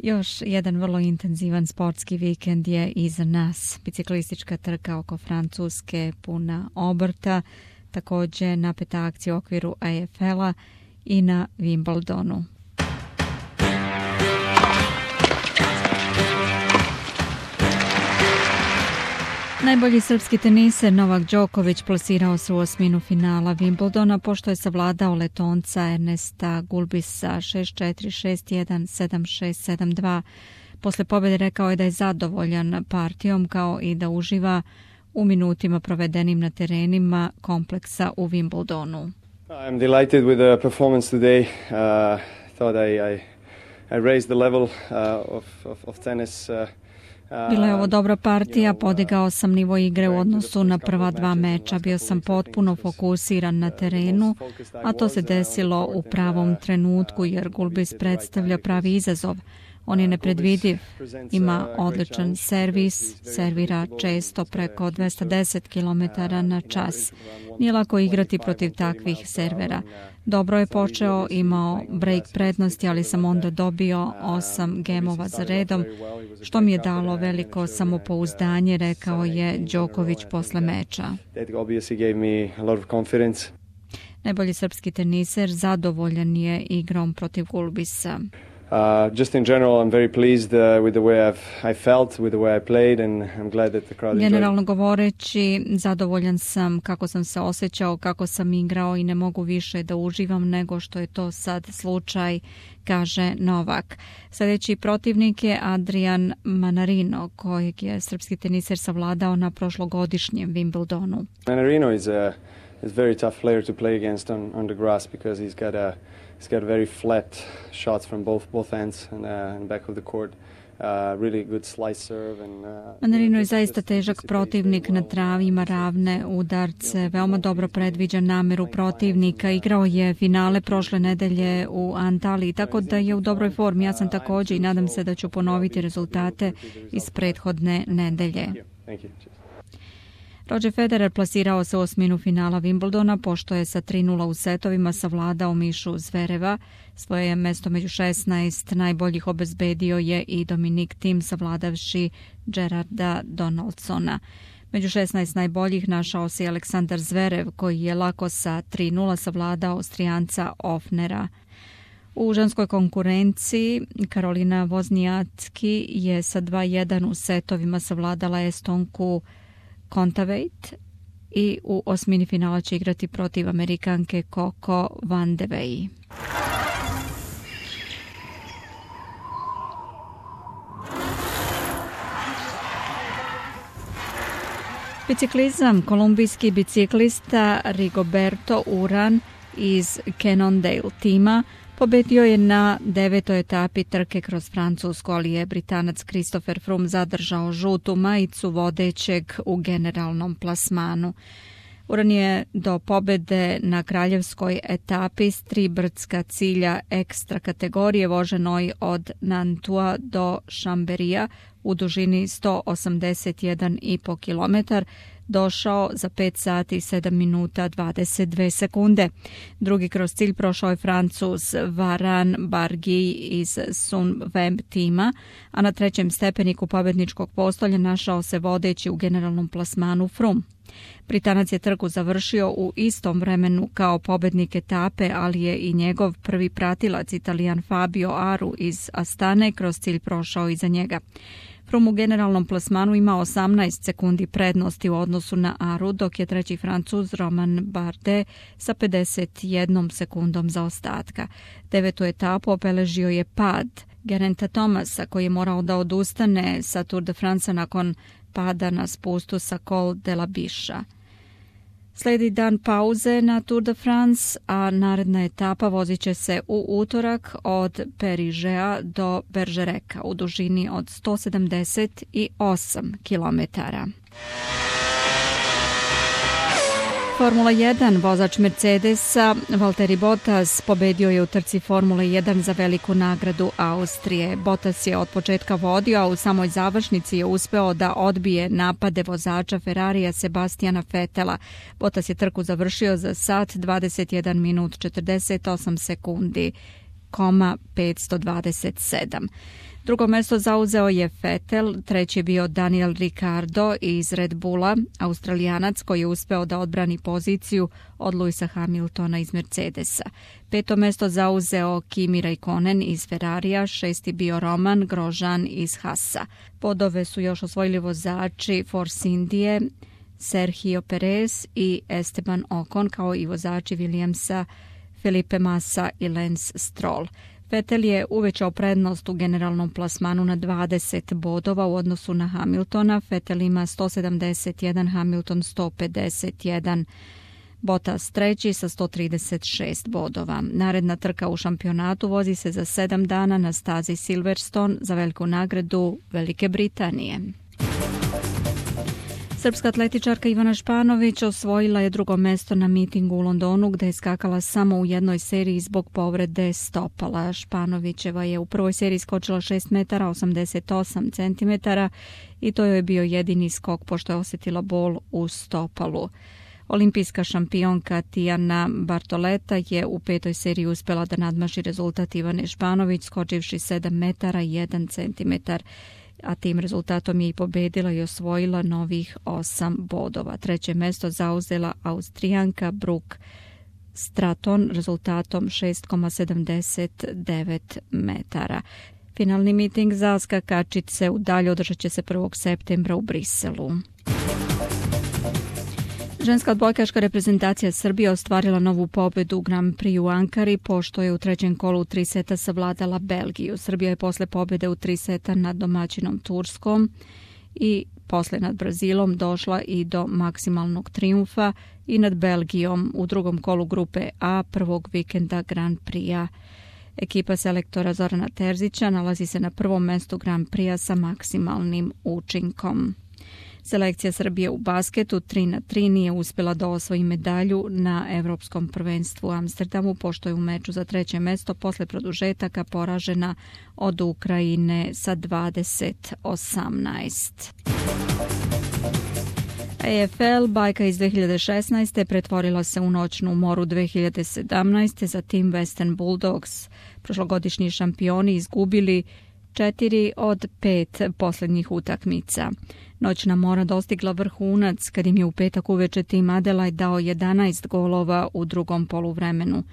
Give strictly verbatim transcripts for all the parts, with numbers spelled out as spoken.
Još jedan vrlo intenzivan sportski vikend je iza nas. Biciklistička trka oko Francuske puna obrta, također napeta akcija u okviru A F L-a i na Wimbledonu. Najbolji srpski teniser Novak Đoković plasirao se u osminu finala Wimbledona pošto je savladao Letonca Ernesta Gulbisa šest četiri, šest jedan, sedam šest, sedam dva. Posle pobjede rekao je da je zadovoljan partijom kao i da uživa u minutima provedenim na terenima kompleksa u Wimbledonu. I'm delighted with the performance today. Uh, thought I, I, I raised the level uh, of, of, of tennis. Uh, Bila je ovo dobra partija, podigao sam nivo igre u odnosu na prva dva meča, bio sam potpuno fokusiran na terenu, a to se desilo u pravom trenutku jer Gulbis predstavlja pravi izazov. On je nepredvidiv, ima odličan servis, servira često preko dvesta deset kilometara na čas. Nije lako igrati protiv takvih servera. Dobro je počeo, imao break prednosti, ali sam onda dobio osam gemova za redom, što mi je dalo veliko samopouzdanje, rekao je Đoković posle meča. Najbolji srpski teniser zadovoljan je igrom protiv Gulbisa. Uh, just in general, I'm very pleased uh, with the way I've, I felt, with the way I played, and I'm glad that the crowd enjoyed. Generalno govoreći, zadovoljan sam kako sam se osjećao, kako sam igrao i ne mogu više da uživam nego što je to sad slučaj, kaže Novak. Sljedeći protivnik je Adrian Manarino, kojeg je srpski teniser savladao na prošlogodišnjem Wimbledonu. Manarino is a is a very tough player to play against on, on the grass because he's got a He's got very flat shots from both both ends and, uh, and back of the court. Uh, really good slice serve and uh, Manarino je zaista težak protivnik na travi, ima ravne udarce, veoma dobro predviđa nameru protivnika. Igrao je finale prošle nedelje u Antaliji, tako da je u dobroj formi. Ja sam također i nadam se da ću ponoviti rezultate iz prethodne nedelje. Roger Federer plasirao se u osminu finala Wimbledona pošto je sa tri nula u setovima savladao Mišu Zvereva. Svoje je mesto među šesnaest najboljih obezbedio je i Dominik Thiem savladavši Gerarda Donaldsona. Među šesnaest najboljih našao se i Aleksandar Zverev koji je lako sa tri nula savladao Austrijanca Ofnera. U ženskoj konkurenciji Karolina Wozniacki je sa dva jedan u setovima savladala Estonku Kontaveit i u osmini finala će igrati protiv Amerikanke Coco Vandeweghe. Biciklizam, kolumbijski biciklista Rigoberto Uran iz Cannondale tima pobedio je na devetoj etapi trke kroz Francusku, ali je Britanac Christopher Froome zadržao žutu majicu vodećeg u generalnom plasmanu. Uran je do pobede na kraljevskoj etapi s tri brdska cilja ekstra kategorije voženoj od Nantua do Chamberia u dužini sto osamdeset jedan i po kilometar došao za pet sati i sedam minuta dvadeset dve sekunde. Drugi kroz cilj prošao je Francuz Varan Barguil iz Sunweb tima, a na trećem stepeniku pobedničkog postolja našao se vodeći u generalnom plasmanu Froome. Britanac je trku završio u istom vremenu kao pobednik etape, ali je i njegov prvi pratilac Italijan Fabio Aru iz Astane kroz cilj prošao iza njega. Froome u generalnom plasmanu ima osamnaest sekundi prednosti u odnosu na Aru, dok je treći Francuz Romain Bardet sa pedeset jednom sekundom zaostatka. Devetu etapu obeležio je pad Gerainta Thomasa koji je morao da odustane sa Tour de France nakon pada na spustu sa Col de la Bicha. Sledi dan pauze na Tour de France, a naredna etapa vozit će se u utorak od Perižea do Bergereka u dužini od sto sedamdeset osam kilometara. Formula jedan, vozač Mercedesa Valtteri Bottas pobedio je u trci Formule jedan za veliku nagradu Austrije. Bottas je od početka vodio, a u samoj završnici je uspeo da odbije napade vozača Ferrarija Sebastiana Vettela. Bottas je trku završio za sat, dvadeset jedan minut, četrdeset osam sekundi zarez petsto dvadeset sedam. Drugo mjesto zauzeo je Vettel, treći je bio Daniel Ricciardo iz Red Bulla, Australijanac koji je uspeo da odbrani poziciju od Lewisa Hamiltona iz Mercedesa. Peto mjesto zauzeo Kimi Räikkönen iz Ferrarija, šesti bio Roman Grosjean iz Haasa. Bodove su još osvojili vozači Force Indije, Sergio Perez i Esteban Ocon, kao i vozači Williamsa Felipe Massa i Lance Stroll. Vettel je uvećao prednost u generalnom plasmanu na dvadeset bodova u odnosu na Hamiltona. Vettel ima sto sedamdeset jedan, Hamilton sto pedeset jedan. Bottas treći sa sto trideset šest bodova. Naredna trka u šampionatu vozi se za sedam dana na stazi Silverstone za veliku nagradu Velike Britanije. Srpska atletičarka Ivana Španović osvojila je drugo mesto na mitingu u Londonu gdje je skakala samo u jednoj seriji zbog povrede stopala. Španovićeva je u prvoj seriji skočila šest metara osamdeset osam centimetara i to joj je bio jedini skok pošto je osjetila bol u stopalu. Olimpijska šampionka Tijana Bartoleta je u petoj seriji uspjela da nadmaši rezultat Ivane Španović skočivši sedam metara jedan centimetar, a tim rezultatom je i pobedila i osvojila novih osam bodova. Treće mesto zauzela Austrijanka Brooke Stratton rezultatom šest zarez sedamdeset devet metara. Finalni miting za skakačice u dalje održat će se prvog septembra u Briselu. Ženska odbojkaška reprezentacija Srbije ostvarila novu pobedu u Grand Prix u Ankari pošto je u trećem kolu u tri seta savladala Belgiju. Srbija je posle pobjede u tri seta nad domaćinom Turskom i posle nad Brazilom došla i do maksimalnog trijumfa i nad Belgijom u drugom kolu grupe A prvog vikenda Grand Prix-a. Ekipa selektora Zorana Terzića nalazi se na prvom mestu Grand Prix-a sa maksimalnim učinkom. Selekcija Srbije u basketu tri na tri nije uspjela da osvoji medalju na Evropskom prvenstvu u Amsterdamu pošto je u meču za treće mesto posle produžetaka poražena od Ukrajine sa dvadeset osamnaest. A F L bajka iz dve hiljade šesnaeste pretvorila se u noćnu moru dve hiljade sedamnaeste za tim Western Bulldogs. Prošlogodišnji šampioni izgubili četiri od pet posljednjih utakmica. Noćna mora dostigla vrhunac kad im je u petak uveče tim Adelaide dao jedanaest golova u drugom poluvremenu.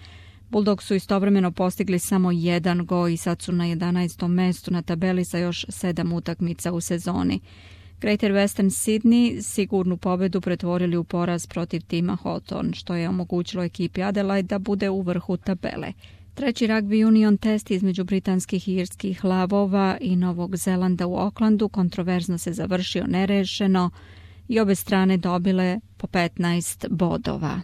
Bulldogs su istovremeno postigli samo jedan gol i sad su na jedanaestom mestu na tabeli sa još sedam utakmica u sezoni. Greater Western Sydney sigurnu pobedu pretvorili u poraz protiv tima Hawthorn, što je omogućilo ekipi Adelaide da bude u vrhu tabele. Treći rugby union test između britanskih i irskih lavova i Novog Zelanda u Aucklandu kontroverzno se završio nerešeno i obe strane dobile po petnaest bodova.